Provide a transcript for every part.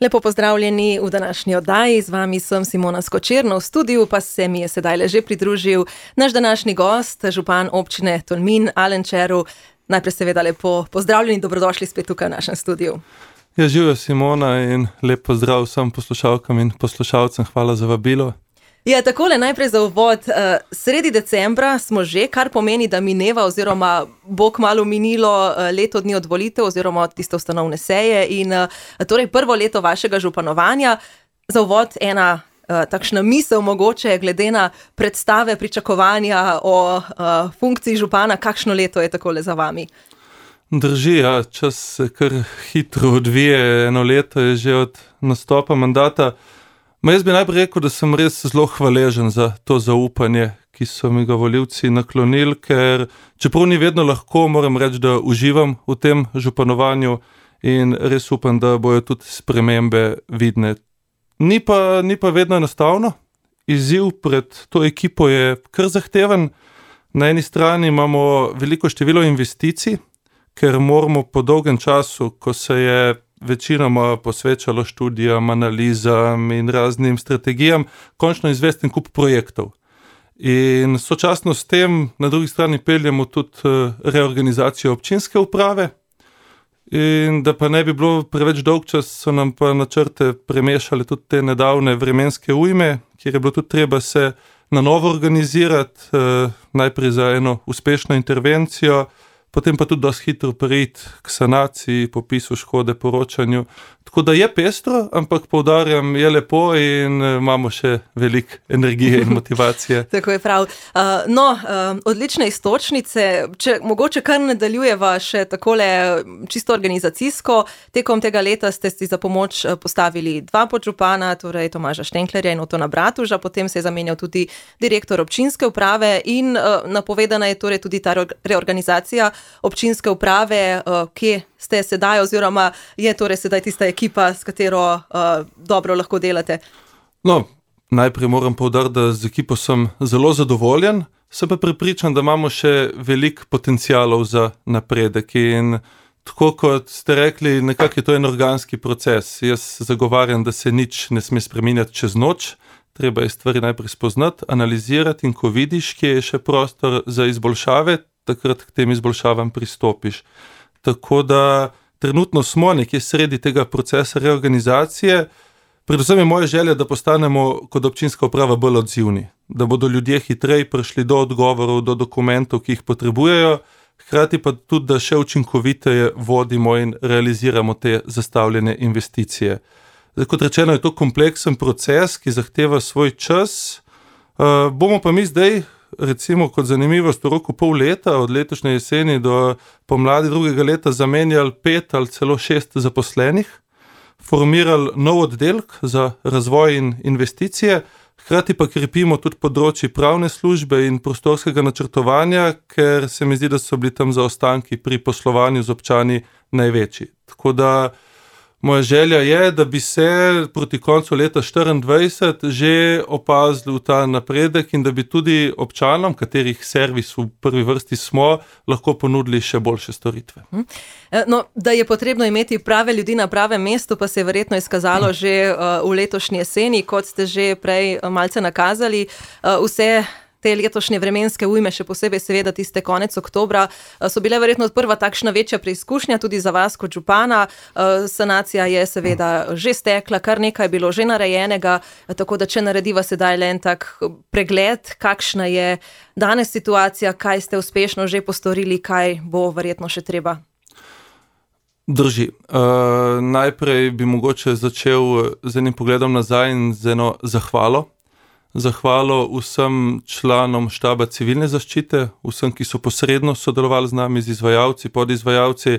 Lepo pozdravljeni v današnji oddaji, z vami sem Simona Skočerno, v studiu pa se mi je sedaj že pridružil naš današnji gost, župan občine Tolmin, Alen Červ. Najprej seveda lepo pozdravljeni, dobrodošli spet tukaj v našem studiu. Ja, živijo Simona in lep pozdrav vsem poslušalkam in poslušalcem, hvala za vabilo. Ja, takole najprej za uvod, sredi decembra smo že, kar pomeni, da mineva oziroma bo kmalu minilo leto dni od volitev oziroma od tiste ustanovne seje in torej prvo leto vašega županovanja. Za uvod ena takšna misel mogoče glede na predstave, pričakovanja o funkciji župana, kakšno leto je takole za vami? Drži, ja, čas se kar hitro odvije, eno leto je že od nastopa mandata. Jaz bi najprej rekel, da sem res zelo hvaležen za to zaupanje, ki so mi ga volivci naklonili, ker čeprav ni vedno lahko, moram reči, da uživam v tem županovanju in res upam, da bojo tudi spremembe vidne. Ni pa vedno enostavno. Izziv pred to ekipo je kar zahteven. Na eni strani imamo veliko število investicij, ker moramo po dolgem času, ko se je večinoma posvečalo študijam, analizam in raznim strategijam, končno izvesti en kup projektov. In sočasno s tem na drugi strani peljemo tudi reorganizacijo občinske uprave. In da pa ne bi bilo preveč dolg čas, so nam pa načrte premešale tudi te nedavne vremenske ujme, kjer je bilo tudi treba se na novo organizirati, najprej za eno uspešno intervencijo, potem pa tudi dosti hitro preiti k sanaciji, popisu škode, poročanju. Tako da je pestro, ampak poudarjam, je lepo in imamo še veliko energije in motivacije. Tako je prav. Odlične iztočnice, če mogoče kar nadaljujeva še takole čisto organizacijsko. Tekom tega leta ste si za pomoč postavili dva podžupana, torej Tomaža Štenklerja in Otona Bratuža, potem se je zamenjal tudi direktor občinske uprave in napovedana je torej tudi ta reorganizacija občinske uprave, kje ste sedaj oziroma je torej sedaj tista ekipa, s katero dobro lahko delate? Najprej moram poudariti, da z ekipo sem zelo zadovoljen, sem pa prepričan, da imamo še veliko potencialov za napredek in tako kot ste rekli, nekako je to en organski proces. Jaz zagovarjam, da se nič ne sme spreminjati čez noč, treba je stvari najprej spoznati, analizirati in ko vidiš, kje je še prostor za izboljšave, takrat k tem izboljšavam pristopiš. Tako da trenutno smo nekje sredi tega procesa reorganizacije. Predvsem je moja želja, da postanemo kot občinska uprava bolj odzivni, da bodo ljudje hitreje prišli do odgovorov, do dokumentov, ki jih potrebujejo, hkrati pa tudi, da še učinkoviteje vodimo in realiziramo te zastavljene investicije. Kot rečeno, je to kompleksen proces, ki zahteva svoj čas. Bomo pa mi zdaj, recimo kot zanimivost, v roku pol leta, od letošnje jeseni do pomladi drugega leta, zamenjali 5 ali celo 6 zaposlenih, formirali nov oddelek za razvoj in investicije, hkrati pa krepimo tudi področje pravne službe in prostorskega načrtovanja, ker se mi zdi, da so bili tam zaostanki pri poslovanju z občani največji. Tako da moja želja je, da bi se proti koncu leta 2024 že opazili ta napredek in da bi tudi občanom, katerih servis v prvi vrsti smo, lahko ponudili še boljše storitve. Da je potrebno imeti prave ljudi na pravem mestu, pa se je verjetno izkazalo že v letošnji jeseni, kot ste že prej malce nakazali. Vse te letošnje vremenske ujme, še posebej seveda tiste konec oktobra, so bile verjetno prva takšna večja preizkušnja tudi za vas kot župana. Sanacija je seveda že stekla, kar nekaj je bilo že narejenega, tako da če narediva sedaj le en tak pregled, kakšna je danes situacija, kaj ste uspešno že postorili, kaj bo verjetno še treba. Drži. Najprej bi mogoče začel z enim pogledom nazaj in z eno zahvalo. Zahvalo vsem članom štaba civilne zaščite, vsem, ki so posredno sodelovali z nami, z izvajalci, podizvajalci,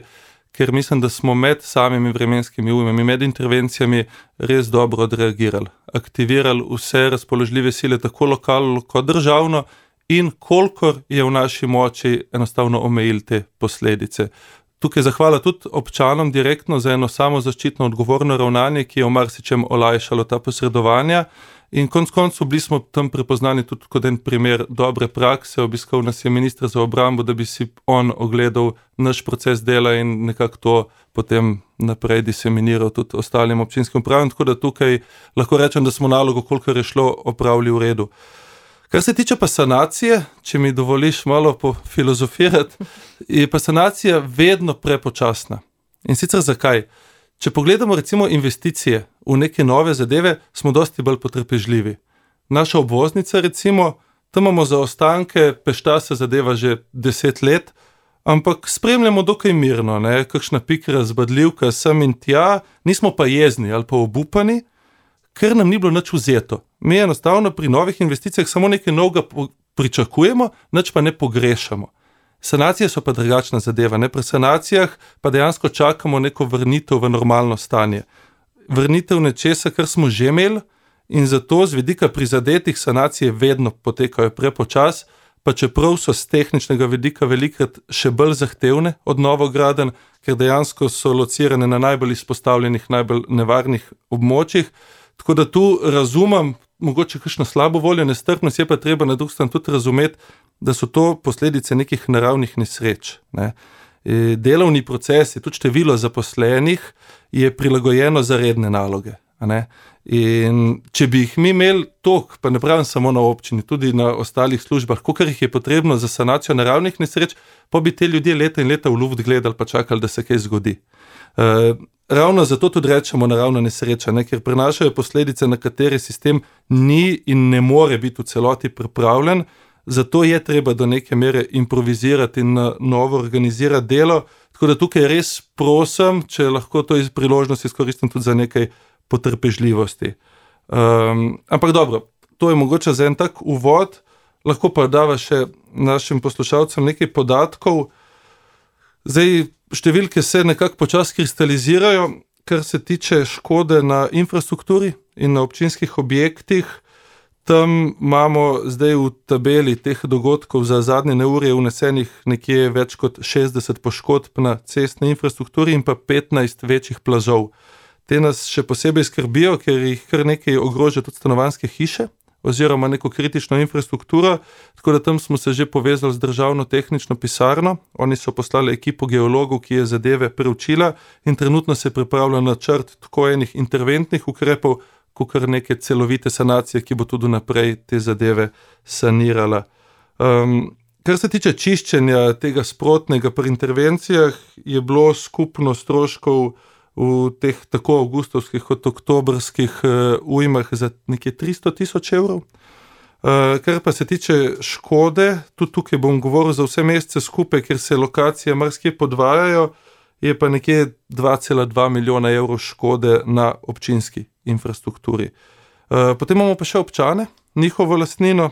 ker mislim, da smo med samimi vremenskimi ujmami, med intervencijami res dobro odreagirali. Aktivirali vse razpoložljive sile, tako lokalno kot državno in kolikor je v naši moči enostavno omejili te posledice. Tukaj zahvala tudi občanom direktno za eno samozaščitno odgovorno ravnanje, ki je v marsičem olajšalo ta posredovanja. In konec koncev bili smo tam prepoznani tudi kot en primer dobre prakse. Obiskal nas je minister za obrambo, da bi si on ogledal naš proces dela in nekako to potem naprej diseminiral tudi ostalim občinskim upravam, tako da tukaj lahko rečem, da smo nalogo, kolikor je šlo, opravili v redu. Kar se tiče pa sanacije, če mi dovoliš malo pofilozofirati, je pa sanacija vedno prepočasna. In sicer zakaj? Če pogledamo recimo investicije v neke nove zadeve, smo dosti bolj potrpežljivi. Naša obvoznica recimo, tam imamo zaostanke, pešta se zadeva že 10 let, ampak spremljamo dokaj mirno, ne? Kakšna pikra zbadljivka sem in tja, nismo pa jezni ali pa obupani, ker nam ni bilo nič vzeto. Mi enostavno pri novih investicijah samo nekaj novega pričakujemo, nič pa ne pogrešamo. Sanacije so pa drugačna zadeva, ne? Pri sanacijah pa dejansko čakamo neko vrnitev v normalno stanje. Vrnitev nečesa, kar smo že imeli, in zato z vidika prizadetih sanacije vedno potekajo prepočas, pa čeprav so z tehničnega vidika velikrat še bolj zahtevne od novogradenj, ker dejansko so locirane na najbolj izpostavljenih, najbolj nevarnih območjih. Tako da tu razumem, mogoče kakšno slabo voljo, nestrpnost, je pa treba na drugi strani tudi razumeti, da so to posledice nekih naravnih nesreč. Ne? Delovni procesi, tudi število zaposlenih je prilagojeno za redne naloge. Ne? In če bi jih mi imeli toliko, pa ne pravim samo na občini, tudi na ostalih službah, kolikor jih je potrebno za sanacijo naravnih nesreč, pa bi te ljudje leta in leta v luft gledali, pa čakali, da se kaj zgodi. Ravno zato tudi rečemo naravna nesreča, ne? Ker prinašajo posledice, na katere sistem ni in ne more biti v celoti pripravljen, zato je treba do neke mere improvizirati in na novo organizirati delo, tako da tukaj res prosim, če lahko to iz priložnosti izkoristim tudi za nekaj potrpežljivosti. Ampak dobro, to je mogoče za en tak uvod, lahko pa dava še našim poslušalcem nekaj podatkov. Zdaj, številke se nekako počasi kristalizirajo, kar se tiče škode na infrastrukturi in na občinskih objektih. Tam imamo zdaj v tabeli teh dogodkov za zadnje neurje vnesenih nekje več kot 60 poškodb na cestni infrastrukturi in pa 15 večjih plazov. Te nas še posebej skrbijo, ker jih kar nekaj ogroža tudi stanovanjske hiše oziroma neko kritično infrastrukturo, tako da tam smo se že povezali z državno tehnično pisarno. Oni so poslali ekipo geologov, ki je zadeve preučila in trenutno se pripravlja načrt tako enih interventnih ukrepov, kot kar neke celovite sanacije, ki bo tudi naprej te zadeve sanirala. Kar se tiče čiščenja tega sprotnega pri intervencijah, je bilo skupno stroškov v teh tako avgustovskih kot oktobrskih ujmah za nekje 300 000 evrov. Kar pa se tiče škode, tudi tukaj bom govoril za vse mesece skupaj, ker se lokacije marsikje podvajajo, je pa nekje 2,2 milijona evrov škode na občinski infrastrukturi. Potem imamo pa še občane, njihovo lastnino,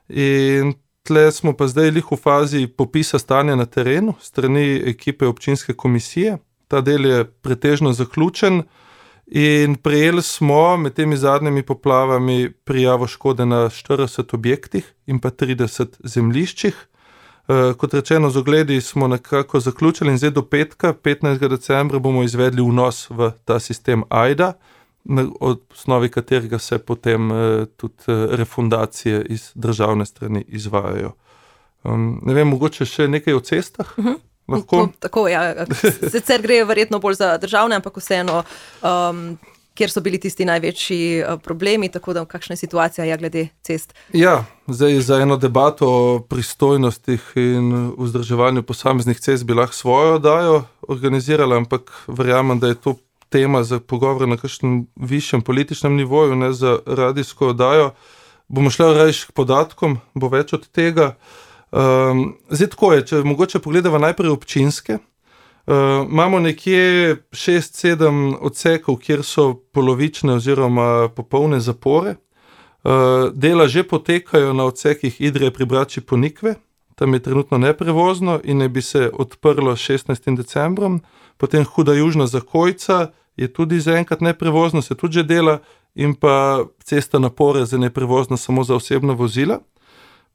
in tle smo pa zdaj lih v fazi popisa stanja na terenu strani ekipe občinske komisije. Ta del je pretežno zaključen in prejeli smo med temi zadnjimi poplavami prijavo škode na 40 objektih in pa 30 zemljiščih. Kot rečeno, z ogledi smo nekako zaključili in zdaj do petka, 15. decembra, bomo izvedli vnos v ta sistem AIDA, na osnovi katerega se potem tudi refundacije iz državne strani izvajajo. Ne vem, mogoče še nekaj o cestah? Tako, ja. Sicer gre verjetno bolj za državne, ampak vseeno, kjer so bili tisti največji problemi, tako da kakšna je situacija glede cest? Ja, zdaj za eno debato o pristojnostih in vzdrževanju posameznih cest bi lahko svojo oddajo organizirala, ampak verjamem, da je to tema za pogovor na kakšnem višjem političnem nivoju, ne za radijsko oddajo. Bomo šli rajš k podatkom, bo več od tega. Zdaj tako je, če mogoče pogledava najprej občinske, imamo nekje 6-7 odsekov, kjer so polovične oziroma popolne zapore. Dela že potekajo na odsekih Idrije pri Brači Ponikve, tam je trenutno neprevozno in ne bi se odprlo 16. decembrom, potem Huda Južna Zakojca je tudi zaenkrat neprevozno, se tudi že dela, in pa cesta na Poreze neprevozna samo za osebna vozila.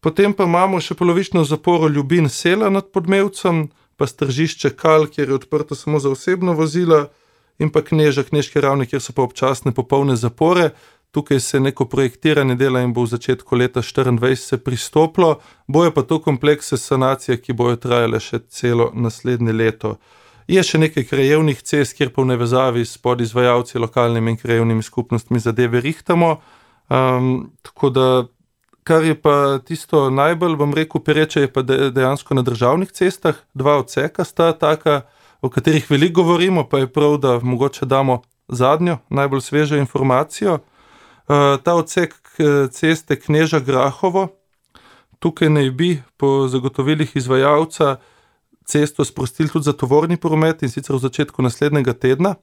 Potem pa imamo še polovično zaporo Ljubin Sela nad Podmevcem, pa Stržišče Kal, kjer je odprto samo za osebna vozila, in pa Kneža, Knežke Ravne, kjer so pa občasne popolne zapore. Tukaj se neko projektiranje dela in bo v začetku leta 2024 se pristopilo. Bojo pa to komplekse sanacije, ki bojo trajale še celo naslednje leto. Je še nekaj krajevnih cest, kjer pa v nevezavi s podizvajalci, lokalnimi in krajevnimi skupnostmi zadeve rihtamo. Tako da, kar je pa tisto najbolj, bom rekel, pereče, je pa dejansko na državnih cestah. 2 odseka sta taka, o katerih veliko govorimo, pa je prav, da mogoče damo zadnjo, najbolj svežo informacijo. Ta odsek ceste Kneža-Grahovo, tukaj naj bi po zagotovilih izvajalca cesto sprostili tudi za tovorni promet, in sicer v začetku naslednjega tedna.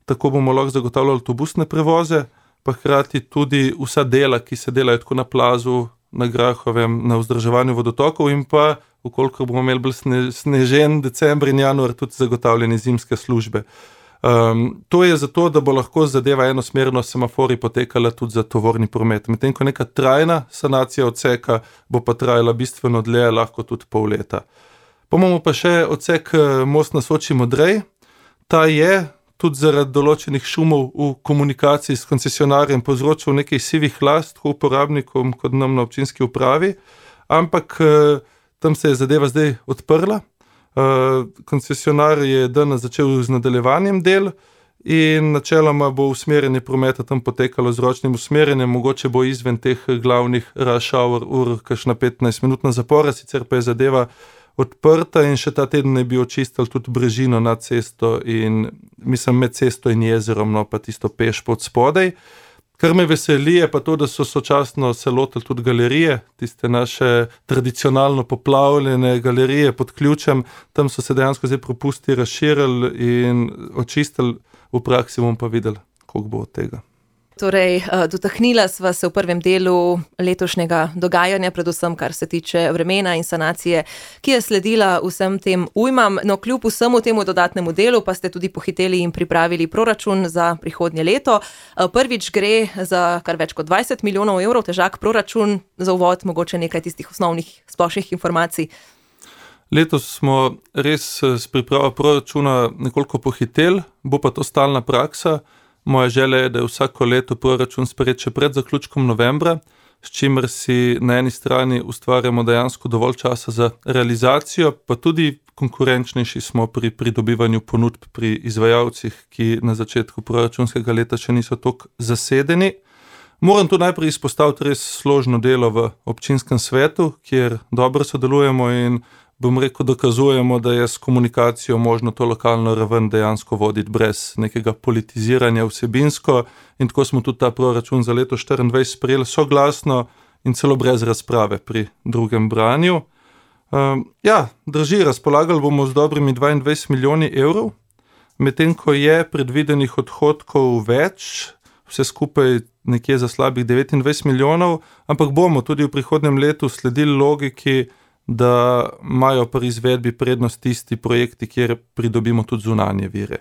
Tako bomo lahko zagotavljali avtobusne prevoze, pa hkrati tudi vsa dela, ki se delajo tako na plazu, na Grahovem, na vzdrževanju vodotokov, in pa, ukolikor bomo imeli bolj snežen december in januar, tudi zagotavljene zimske službe. To je zato, da bo lahko zadeva enosmerno semafori potekala tudi za tovorni promet. Medtem ko neka trajna sanacija odseka bo pa trajala bistveno dlje, lahko tudi pol leta. Imamo pa še odsek Most na Soči-Modrej. Ta je tudi zaradi določenih šumov v komunikaciji s koncesionarjem povzročil nekaj sivih las, tako uporabnikom kot nam na občinski upravi, ampak tam se je zadeva zdaj odprla. Koncesionar je danes začel z nadaljevanjem del in načeloma bo usmerjanje prometa tam potekalo z ročnim usmerjanjem, mogoče bo izven teh glavnih rush hour ur kakšna 15-minutna zapora, sicer pa je zadeva odprta in še ta teden ne bi očistili tudi brežino nad cesto in mislim med cesto in jezerom, no pa tisto peš pod spodaj. Kar me veseli je pa to, da so sočasno se lotili tudi galerije, tiste naše tradicionalno poplavljene galerije pod ključem, tam so se dejansko zdaj propusti razširili in očistili, v praksi bomo pa videli, koliko bo od tega. Torej, dotaknila sva se v prvem delu letošnjega dogajanja, predvsem kar se tiče vremena in sanacije, ki je sledila vsem tem ujmam. No, kljub vsemu temu dodatnemu delu pa ste tudi pohiteli in pripravili proračun za prihodnje leto. Prvič gre za kar več kot 20 milijonov evrov težak proračun. Za uvod mogoče nekaj tistih osnovnih splošnih informacij. Letos smo res s pripravo proračuna nekoliko pohiteli, bo pa to stalna praksa. Moja želja je, da je vsako leto proračun sprejet še pred zaključkom novembra, s čimer si na eni strani ustvarjamo dejansko dovolj časa za realizacijo, pa tudi konkurenčnejši smo pri pridobivanju ponudb pri izvajalcih, ki na začetku proračunskega leta še niso toliko zasedeni. Moram tu najprej izpostaviti res složno delo v občinskem svetu, kjer dobro sodelujemo in bom rekel, dokazujemo, da je s komunikacijo možno to lokalno raven dejansko voditi brez nekega politiziranja vsebinsko, in tako smo tudi ta proračun za leto 2024 sprejeli soglasno in celo brez razprave pri drugem branju. Drži, razpolagali bomo z dobrimi 22 milijoni evrov, medtem ko je predvidenih odhodkov več, vse skupaj nekje za slabih 29 milijonov, ampak bomo tudi v prihodnjem letu sledili logiki, da imajo pri izvedbi prednost tisti projekti, kjer pridobimo tudi zunanje vire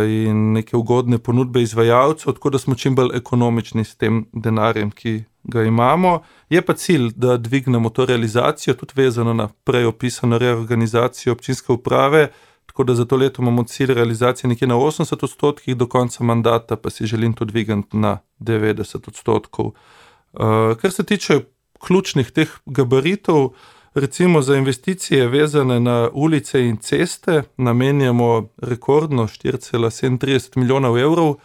in neke ugodne ponudbe izvajalcev, tako da smo čim bolj ekonomični s tem denarjem, ki ga imamo. Je pa cilj, da dvignemo to realizacijo, tudi vezano na prej opisano reorganizacijo občinske uprave, tako da za to leto imamo cilj realizacije nekje na 80%, do konca mandata pa si želim to dvigati na 90%. Kar se tiče ključnih teh gabaritov, recimo za investicije vezane na ulice in ceste namenjamo rekordno 4,37 milijonov evrov,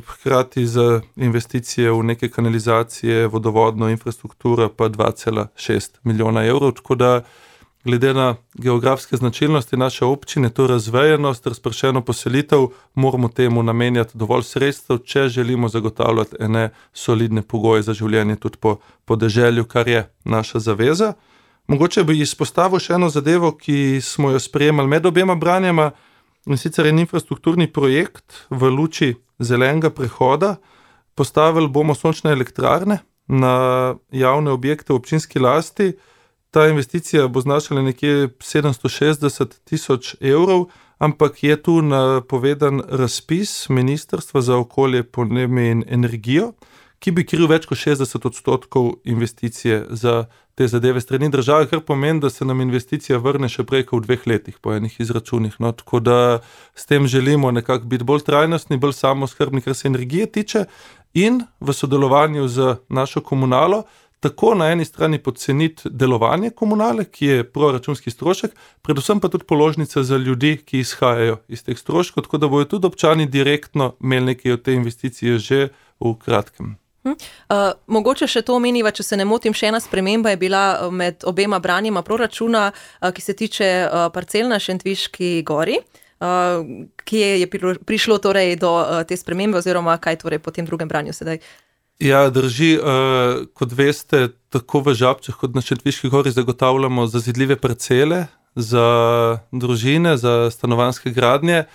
hkrati za investicije v neke kanalizacije, vodovodno infrastrukturo pa 2,6 milijona evrov, tako da glede na geografske značilnosti naše občine, to razvejenost, razpršeno poselitev, moramo temu namenjati dovolj sredstev, če želimo zagotavljati ene solidne pogoje za življenje tudi po podeželju, kar je naša zaveza. Mogoče bi izpostavil še eno zadevo, ki smo jo sprejemali med obema branjama, in sicer en infrastrukturni projekt v luči zelenega prehoda. Postavili bomo sončne elektrarne na javne objekte v občinski lasti. Ta investicija bo znašala nekje 760 tisoč evrov, ampak je tu napovedan razpis Ministrstva za okolje, podnebje in energijo, ki bi kril več kot 60% investicije za te zadeve strani države, kar pomeni, da se nam investicija vrne še prej kot v 2 letih po enih izračunih. No, tako da s tem želimo nekako biti bolj trajnostni, bolj samooskrbni, kar se energije tiče, in v sodelovanju z našo komunalo tako na eni strani podceniti delovanje komunale, ki je proračunski strošek, predvsem pa tudi položnica za ljudi, ki izhajajo iz teh stroškov, tako da bojo tudi občani direktno imeli nekaj od te investicije že v kratkem. Mogoče še to omeniva, če se ne motim, še ena sprememba je bila med obema branjima proračuna, ki se tiče parcel na Šentviški gori. Kje je prišlo torej do te spremembe oziroma kaj torej po tem drugem branju sedaj? Ja, drži. Kot veste, tako v Žabčah kot na Šentviški gori zagotavljamo zazidljive parcele za družine, za stanovanjske gradnje.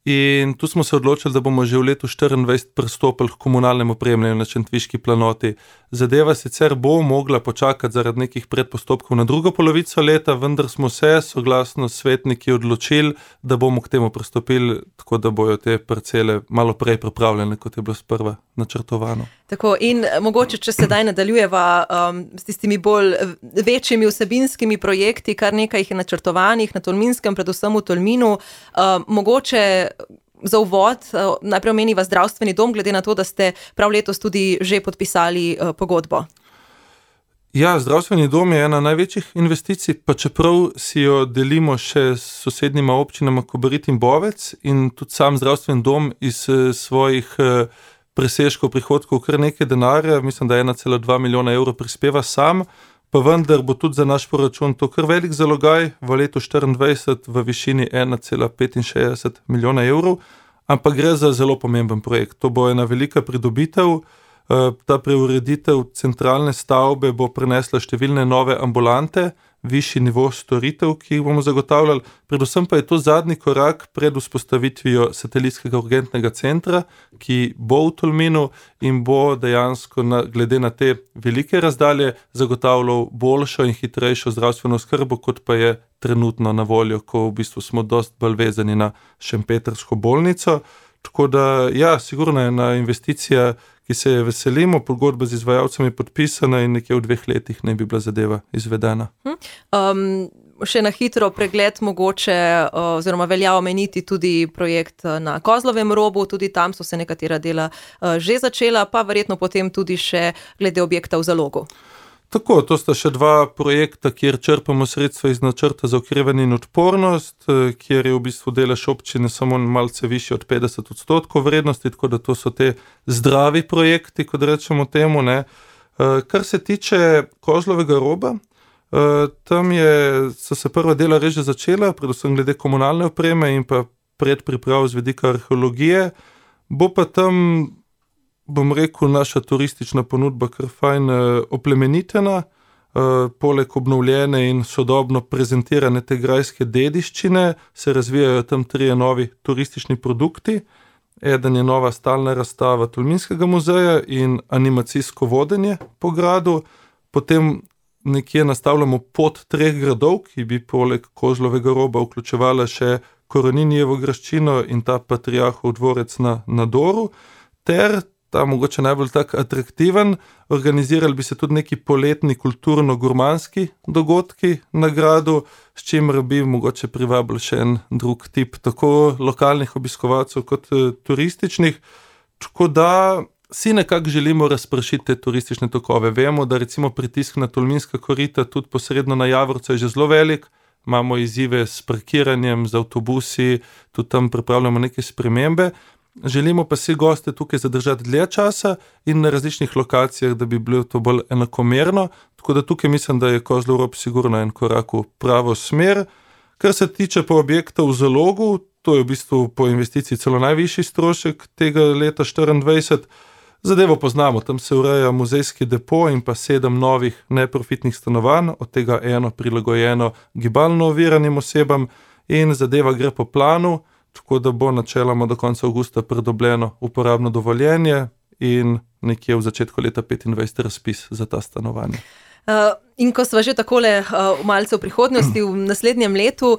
In tu smo se odločili, da bomo že v letu 2024 pristopili k komunalnemu opremljanju na Šentviški planoti. Zadeva sicer bo mogla počakati zaradi nekih predpostopkov na drugo polovico leta, vendar smo se soglasno s svetniki odločili, da bomo k temu pristopili, tako da bojo te parcele malo prej pripravljene, kot je bilo sprva načrtovano. Tako, in mogoče, če sedaj nadaljujeva s tistimi bolj večjimi vsebinskimi projekti, kar nekaj jih je načrtovanih na Tolminskem, predvsem v Tolminu, mogoče za uvod najprej omeniva zdravstveni dom, glede na to, da ste prav letos tudi že podpisali pogodbo. Ja, zdravstveni dom je ena največjih investicij, pa čeprav si jo delimo še s sosednjima občinama Kobarid in Bovec, in tudi sam zdravstveni dom iz svojih presežkov prihodkov kar nekaj denarja, mislim, da 1,2 milijona evrov prispeva sam, pa vendar bo tudi za naš proračun to kar velik zalogaj v letu 2024 v višini 1,65 milijona evrov, ampak gre za zelo pomemben projekt. To bo ena velika pridobitev. Ta preureditev centralne stavbe bo prinesla številne nove ambulante, višji nivo storitev, ki jih bomo zagotavljali, predvsem pa je to zadnji korak pred vzpostavitvijo satelitskega urgentnega centra, ki bo v Tolminu in bo dejansko glede na te velike razdalje zagotavljal boljšo in hitrejšo zdravstveno oskrbo, kot pa je trenutno na voljo, ko v bistvu smo dosti bolj vezani na šempetrsko bolnico. Tako da, ja, sigurno je ena investicija, ki se je veselimo, pogodba z izvajalcem je podpisana in nekje v 2 letih naj bi bila zadeva izvedena. Še na hitro pregled mogoče, oziroma velja omeniti tudi projekt na Kozlovem robu, tudi tam so se nekatera dela že začela, pa verjetno potem tudi še glede objekta v Zalogu. Tako, to sta še 2 projekta, kjer črpamo sredstva iz načrta za okrevanje in odpornost, kjer je v bistvu delež občine samo malce višji od 50% vrednosti, tako da to so te zdravi projekti, kot rečemo temu, ne. Kar se tiče Kozlovega roba, tam so se prva dela res že začela, predvsem glede komunalne opreme in pa predpriprav z vidika arheologije, bo pa tam, bom rekel, naša turistična ponudba kar fajn oplemenitena, poleg obnovljene in sodobno prezentirane te grajske dediščine se razvijajo tam 3 novi turistični produkti. Eden je nova stalna razstava Tolminskega muzeja in animacijsko vodenje po gradu, potem nekje nastavljamo pot 3 gradov, ki bi poleg Kozlovega roba vključevala še Koroninijevo graščino in ta Patriarhov dvorec na Doru, ter ta mogoče najbolj tak atraktiven, organizirali bi se tudi neki poletni kulturno-gurmanski dogodki na gradu, s čimer bi mogoče privabili še en drug tip tako lokalnih obiskovalcev kot turističnih, tako da si nekako želimo razpršiti te turistične tokove. Vemo, da recimo pritisk na Tolminska korita tudi posredno na Javorco je že zelo velik, imamo izzive s parkiranjem, z avtobusi, tudi tam pripravljamo neke spremembe. Želimo pa si goste tukaj zadržati dlje časa in na različnih lokacijah, da bi bilo to bolj enakomerno, tako da tukaj mislim, da je Kozlov rob sigurno en korak v pravo smer. Kar se tiče pa objekta v Zalogu, to je v bistvu po investiciji celo najvišji strošek tega leta 2024. Zadevo poznamo, tam se ureja muzejski depo in pa 7 novih neprofitnih stanovanj, od tega 1 prilagojeno gibalno oviranim osebam in zadeva gre po planu, tako da bo načeloma do konca avgusta pridobljeno uporabno dovoljenje in nekje v začetku leta 2025 razpis za ta stanovanja. In ko sva že takole malce v prihodnosti, v naslednjem letu,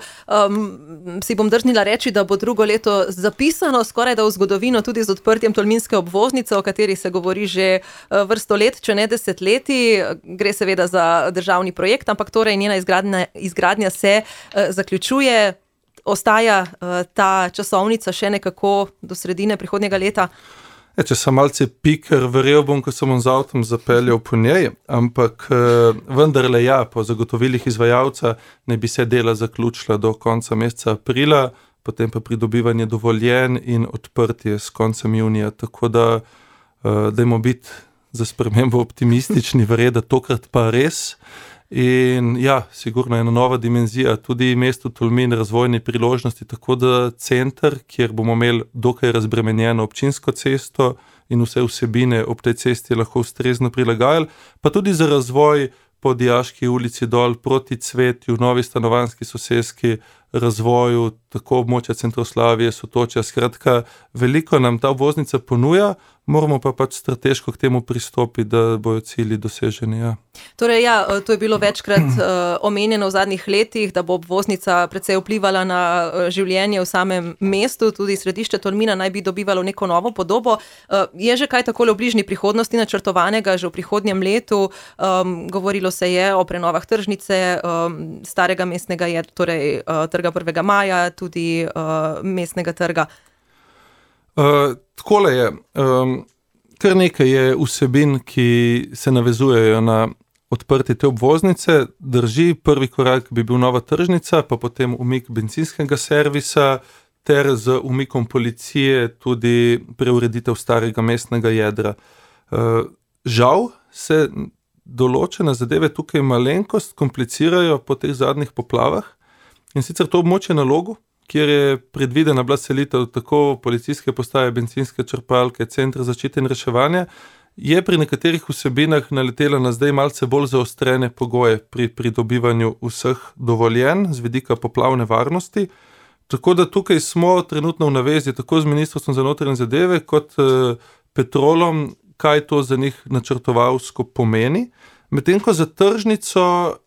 si bom drznila reči, da bo drugo leto zapisano skoraj da v zgodovino tudi z odprtjem Tolminske obvoznice, o kateri se govori že vrsto let, če ne desetletij. Gre seveda za državni projekt, ampak torej njena izgradnja se zaključuje. Ostaja ta časovnica še nekako do sredine prihodnjega leta? Če sem malce piker, verjel bom, ko sem z avtom zapeljal po njej, ampak vendarle ja, po zagotovilih izvajalca ne bi se dela zaključila do konca meseca aprila, potem pa pridobivanje dovoljen in odprtje s koncem junija, tako da dajmo biti za spremembo optimistični, verjeti, da tokrat pa res. In ja, sigurno ena nova dimenzija, tudi mesto Tolmin razvojne priložnosti, tako da center, kjer bomo imeli dokaj razbremenjeno občinsko cesto in vse vsebine ob tej cesti lahko ustrezno prilagajali, pa tudi za razvoj po Dijaški ulici dol proti Cvetju, novi stanovanjski soseski, razvoju, tako območja Centroslavije, Sotočja, skratka, veliko nam ta obvoznica ponuja, moramo pa pač strateško k temu pristopiti, da bojo cilji doseženi. Ja. Torej, ja, to je bilo večkrat omenjeno v zadnjih letih, da bo obvoznica precej vplivala na življenje v samem mestu, tudi središče Tolmina naj bi dobivalo neko novo podobo. Je že kaj takole v bližnji prihodnosti načrtovanega, že v prihodnjem letu? Govorilo se je o prenovah tržnice, starega mestnega je, torej trga 1. maja, tudi mestnega trga. Takole je, kar nekaj je vsebin, ki se navezujejo na odprtje te obvoznice. Drži, prvi korak bi bil nova tržnica, pa potem umik bencinskega servisa, ter z umikom policije tudi preureditev starega mestnega jedra. Žal se določene zadeve tukaj malenkost komplicirajo po teh zadnjih poplavah, in sicer to območje na Logu, kjer je predvidena bila selitev tako policijske postaje, bencinske črpalke, centra zaščite in reševanja, je pri nekaterih vsebinah naletela na zdaj malce bolj zaostrene pogoje pri pridobivanju vseh dovoljenj z vidika poplavne varnosti. Tako da tukaj smo trenutno v navezi tako z Ministrstvom za notranje zadeve kot Petrolom, kaj to za njih načrtovalsko pomeni. Medtem ko za tržnico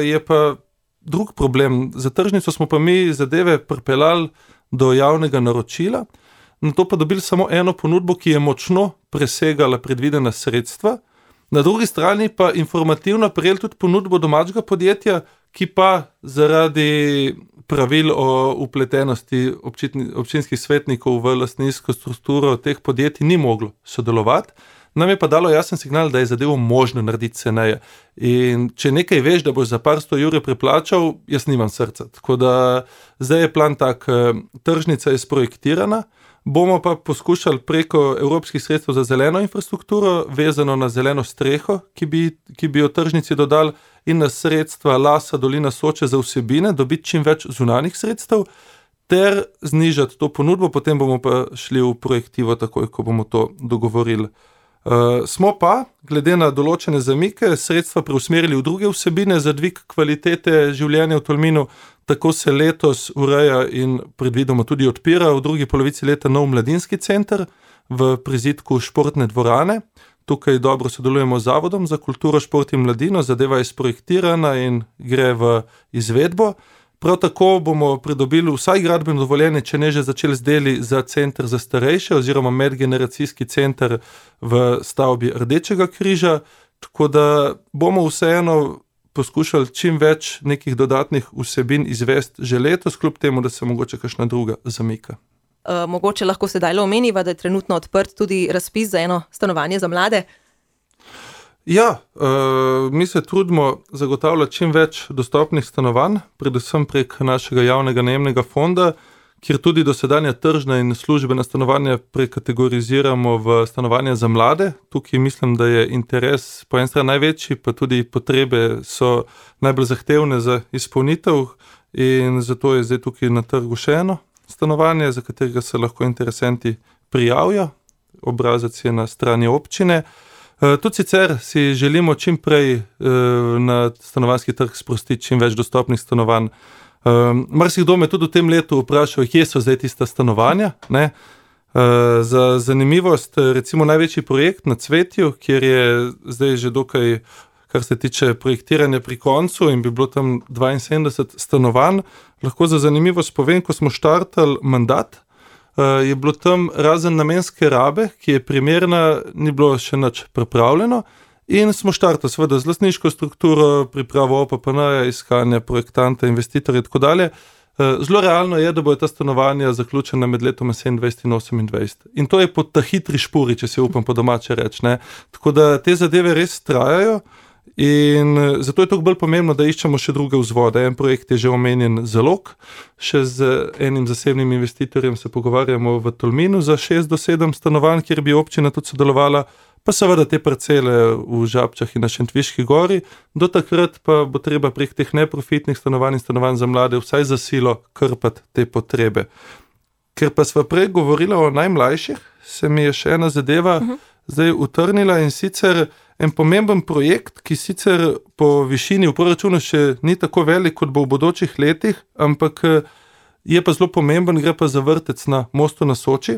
je pa drug problem. Za tržnico smo pa mi zadeve pripeljali do javnega naročila, na to pa dobili samo eno ponudbo, ki je močno presegala predvidena sredstva. Na drugi strani pa informativno prejeli tudi ponudbo domačega podjetja, ki pa zaradi pravil o vpletenosti občinskih svetnikov v lastninsko strukturo teh podjetij ni moglo sodelovati. Nam je pa dalo jasen signal, da je zadevo možno narediti ceneje. In če nekaj veš, da boš za par 100 evrov preplačal, jaz nimam srca. Tako da zdaj je plan tak, tržnica je sprojektirana, bomo pa poskušali preko evropskih sredstev za zeleno infrastrukturo, vezano na zeleno streho, ki bi jo tržnici dodali, in na sredstva Lasa, Dolina Soče za vsebine, dobiti čim več zunanjih sredstev, ter znižati to ponudbo, potem bomo pa šli v projektivo takoj, ko bomo to dogovorili. Smo pa, glede na določene zamike, sredstva preusmerili v druge vsebine za dvig kvalitete življenja v Tolminu. Tako se letos ureja in predvidoma tudi odpira v drugi polovici leta nov mladinski center v prizidku športne dvorane. Tukaj dobro sodelujemo z Zavodom za kulturo, šport in mladino, zadeva je sprojektirana in gre v izvedbo. Prav tako bomo pridobili vsaj gradbeno dovoljenje, če ne že začeli z deli za center za starejše oziroma medgeneracijski center v stavbi Rdečega križa, tako da bomo vseeno poskušali čim več nekih dodatnih vsebin izvesti že letos, kljub temu, da se mogoče kakšna druga zamika. Mogoče lahko sedaj omeniva, da je trenutno odprt tudi razpis za eno stanovanje za mlade? Ja, mi se trudimo zagotavljati čim več dostopnih stanovanj, predvsem prek našega javnega najemnega fonda, kjer tudi dosedanja tržna in službena stanovanja prekategoriziramo v stanovanja za mlade. Tukaj mislim, da je interes po eni strani največji, pa tudi potrebe so najbolj zahtevne za izpolnitev, in zato je zdaj tukaj na trgu še eno stanovanje, za katerega se lahko interesenti prijavijo. Obrazec je na strani občine. Tudi sicer si želimo čim prej na stanovanjski trg sprostiti čim več dostopnih stanovanj. Marsikdo me tudi v tem letu vprašal, kje so zdaj tista stanovanja. Ne? Za zanimivost, recimo največji projekt na Cvetju, kjer je zdaj že dokaj, kar se tiče projektiranja pri koncu, in bi bilo tam 72 stanovanj. Lahko za zanimivost povem, ko smo štartali mandat, je bilo tam razen namenske rabe, ki je primerna, ni bilo še nič pripravljeno, in smo štartali seveda z lastniško strukturo, pripravo OPPN-ja, iskanje projektanta, investitorja in tako dalje. Zelo realno je, da bojo ta stanovanja zaključena med letom 27 in 28. In to je po ta hitri špuri, če se upam po domače reči, ne. Tako da te zadeve res trajajo in zato je toliko bolj pomembno, da iščemo še druge vzvode. En projekt je že omenjen Zalog, še z enim zasebnim investitorjem se pogovarjamo v Tolminu za 6 do 7 stanovanj, kjer bi občina tudi sodelovala, pa seveda te parcele v Žabčah in na Šentviški gori. Do takrat pa bo treba prek teh neprofitnih stanovanj in stanovanj za mlade vsaj za silo krpati te potrebe. Ker pa sva prej govorila o najmlajših, se mi je še ena zadeva zdaj utrnila, in sicer en pomemben projekt, ki sicer po višini v proračunu še ni tako velik, kot bo v bodočih letih, ampak je pa zelo pomemben, gre pa za vrtec na Mostu na Soči,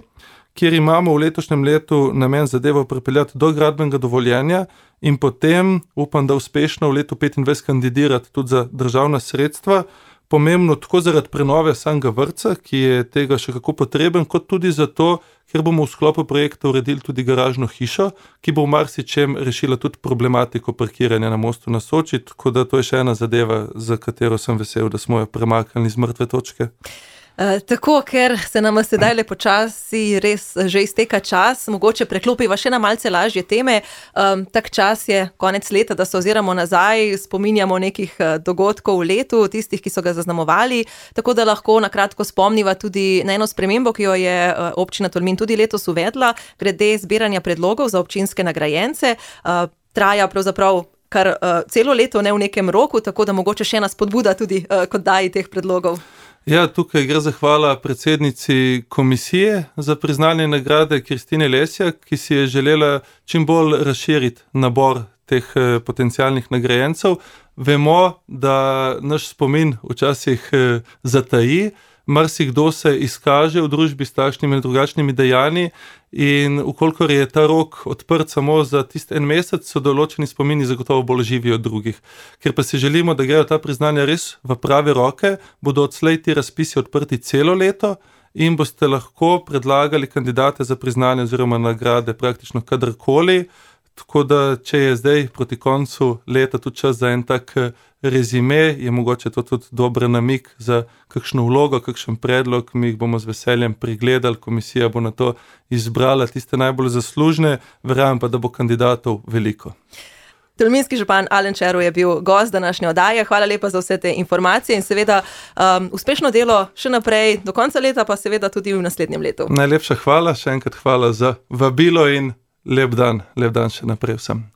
kjer imamo v letošnjem letu namen zadevo pripeljati do gradbenega dovoljenja in potem, upam, da uspešno v letu 2025 kandidirati tudi za državna sredstva. Pomembno tako zaradi prenove samega vrtca, ki je tega še kako potreben, kot tudi zato, ker bomo v sklopu projekta uredili tudi garažno hišo, ki bo v marsičem rešila tudi problematiko parkiranja na Mostu na Soči, tako da to je še ena zadeva, za katero sem vesel, da smo jo premaknili z mrtve točke. Tako, ker se nam sedaj počasi res že izteka čas, mogoče preklopiva še na malce lažje teme. Tak čas je konec leta, da se oziramo nazaj, spominjamo nekih dogodkov v letu, tistih, ki so ga zaznamovali, tako da lahko na kratko spomniva tudi na eno spremembo, ki jo je občina Tolmin tudi letos uvedla, glede zbiranja predlogov za občinske nagrajence. Traja pravzaprav kar celo leto, ne v nekem roku, tako da mogoče še ena spodbuda tudi k oddaji teh predlogov. Ja, tukaj gre zahvala predsednici komisije za priznanje nagrade Kristine Lesjak, ki si je želela čim bolj razširiti nabor teh potencialnih nagrajencev. Vemo, da naš spomin včasih zataji, marsikdo se izkaže v družbi s takšnimi in drugačnimi dejanji, in ukolikor je ta rok odprt samo za tisti en mesec, so določeni spomini zagotovo bolj živi od drugih. Ker pa si želimo, da grejo ta priznanja res v prave roke, bodo odslej ti razpisi odprti celo leto in boste lahko predlagali kandidate za priznanje oziroma nagrade praktično kadarkoli. Tako da, če je zdaj proti koncu leta tudi čas za en tak rezime, je mogoče to tudi dober namik za kakšno vlogo, kakšen predlog, mi jih bomo z veseljem pregledali, komisija bo na to izbrala tiste najbolj zaslužne, verjamem pa, da bo kandidatov veliko. Tolminski župan Alen Červ je bil gost današnje oddaje. Hvala lepa za vse te informacije in seveda uspešno delo še naprej do konca leta, pa seveda tudi v naslednjem letu. Najlepša hvala, še enkrat hvala za vabilo in lep dan še naprej vsem.